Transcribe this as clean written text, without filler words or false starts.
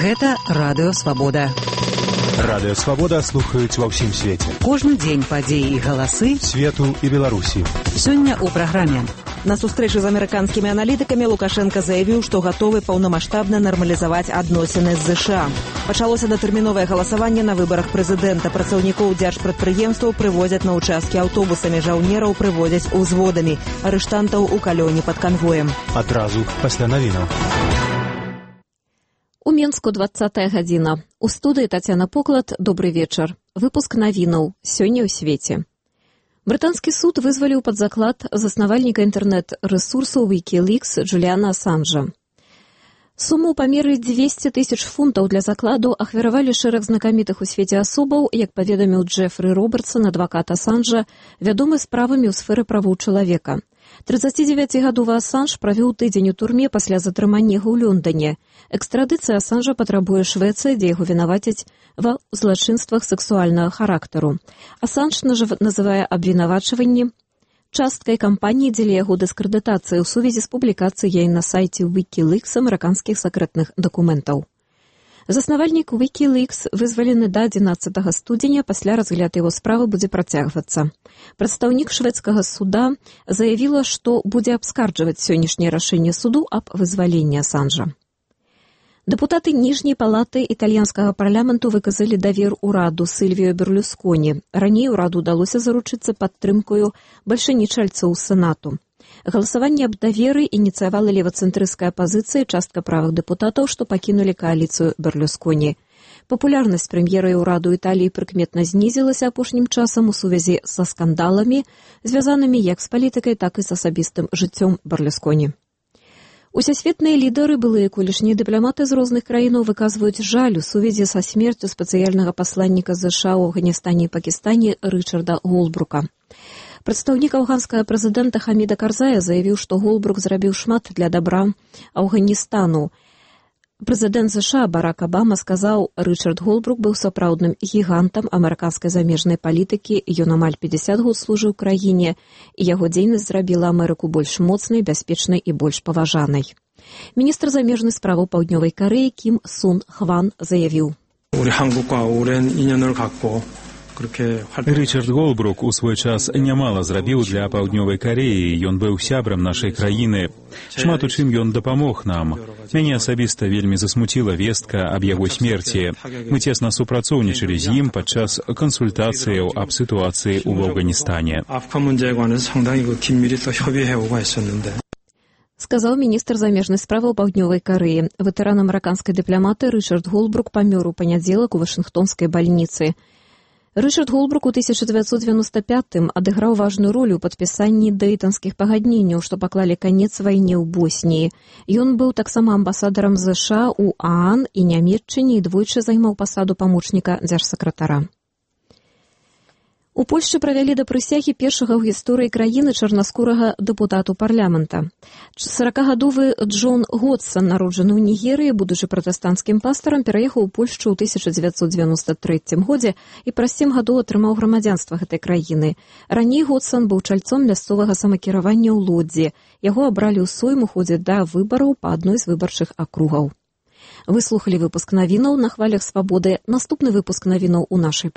Гэта Радыё Свабода. Радыё Свабода слухаюць ва ўсім свеце. Кожны дзень падзеі і галасы свету і Беларусі. Сёння ў праграме. На сустрэчы з амерыканскімі аналітыкамі Лукашенко заявіў, што гатовы паўнамаштабна нармалізаваць адносіны з ЗША. Пачалося датэрміновае галасаванне на выбарах прэзідэнта. Працаўнікоў дзяржпрадпрыемстваў прывозяць на ўчасткі аўтобусамі, жаўнераў прывозяць узводамі, арыштантаў у калёне пад канвоем. Адразу пасля навінаў. У Менску 20-я гадзіна. У студыі Тацяна Поклад. Добры вечар. Выпуск навінаў. Сёння ў свеце. Брытанскі суд вызваліў пад заклад заснавальніка інтэрнэт-рэсурсу Wikileaks Джуліана Асанжа. Суму ў памеры 200 000 фунтаў для закладу ахвяравалі шэраг знакамітых у свеце асобаў, як паведаміў Джефры Робертсон, адвакат Асанжа, вядомы справамі ў сферы правоў чалавека. 39-гадовы Асанж правёў тыдзень у турме пасля затрымання яго ў Лондоне. Экстрадыцыя Асанжа патрабуе Швецыя, дзе яго вінавацяць ва злачынствах сексуальнага характару. Асанж называе абвінавачванні часткай кампаніі дзеля яго дыскрэдытацыі ў сувязі з публікацыяй на сайце Wikileaks амерыканскіх сакрэтных дакументаў. Заснавальнік Wikileaks вызвалены да 11 студзеня, пасля разгляд яго справы будзе працягвацца. Прадстаўнік шведскага суда заявіла, што будзе абскарджваць сённяшняе рашэнне суду аб вызваленні Асанжа. Дэпутаты ніжняй палаты італьянскага парламенту выказалі давер ураду Сільвіо Берлусконі. Раней ураду ўдалося заручыцца падтрымкаю бальшанічальцаў у Сенату. Галасаванне аб даверы ініцыявала левацэнтрысцкая апазіцыя, частка правых дэпутатаў, што пакінулі кааліцыю Берлусконі. Папулярнасць прэм'ера і ўраду Італіі прыкметна знізілася апошнім часам у сувязі са скандаламі, звязанымі як з палітыкай, так і з асабістым жыццём Берлусконі. Усесветныя лідары, былыя колішнія дыпламаты з розных краінаў выказваюць жаль у сувязі са смерцю спецыяльнага пасланніка ЗША ў Афганістане і Пакістане Рычарда Голбрука. Прадстаўнік афганскага прэзідэнта Хаміда Карзая заявіў, што Голбрук зрабіў шмат для дабра Афганістану. Прэзідэнт ЗША Барак Абама сказаў, Рычард Голбрук быў сапраўдным гігантам амерыканскай замежнай палітыкі, ён амаль 50 год служыў краіне, і яго дзейнасць зрабіла Амерыку больш моцнай, бяспечнай і больш паважанай. Міністр замежнай справаў Паўднёвай Карэі Кім Сун Хван заявіў. Рычард Голбрук у свой час нямала зрабіў для Паўднёвай Карэі, ён быў сябрам нашай краіны. Шмат у чым ён дапамог нам. Мяне асабіста вельмі засмуціла вестка аб яго смерці. Мы цесна супрацоўнічалі з ім падчас кансультацыяў аб сітуацыі ў Афганістане. Сказаў міністр замежнай справаў Паўднёвай Карэі. Ветэран амерыканскай дыпламаты Рычард Голбрук памёр у панядзелак у Вашынгтонскай бальніцы. Рычард Голбрук у 1995-м адыграў важную ролю ў падпісанні дэйтанскіх пагадненняў, што паклалі канец вайне ў Босніі. Ён быў таксама амбасадарам ЗША ў ААН і Нямецчыне і двойчы займаў пасаду памочніка дзяржсакратара. У Польшчы правялі да прысягі першага ў гісторыі краіны чарнаскурага дэпутату парламента. 40-гадовы Джон Годсон, народжаны ў Нігерыі, будучы пратэстанцкім пастарам, пераехаў у Польшчу ў 1993 годзе і праз 7 гадоў атрымаў грамадзянства гэтай краіны. Раней Годсон быў чальцом мясцовага самакіравання ў Лодзі. Яго абралі ў Сойм у ходзе да выбараў па адной з выбарчых акругаў. Вы слухалі выпуск навінаў на хвалях Свабоды. Наступны выпуск навінаў у нашай праграме.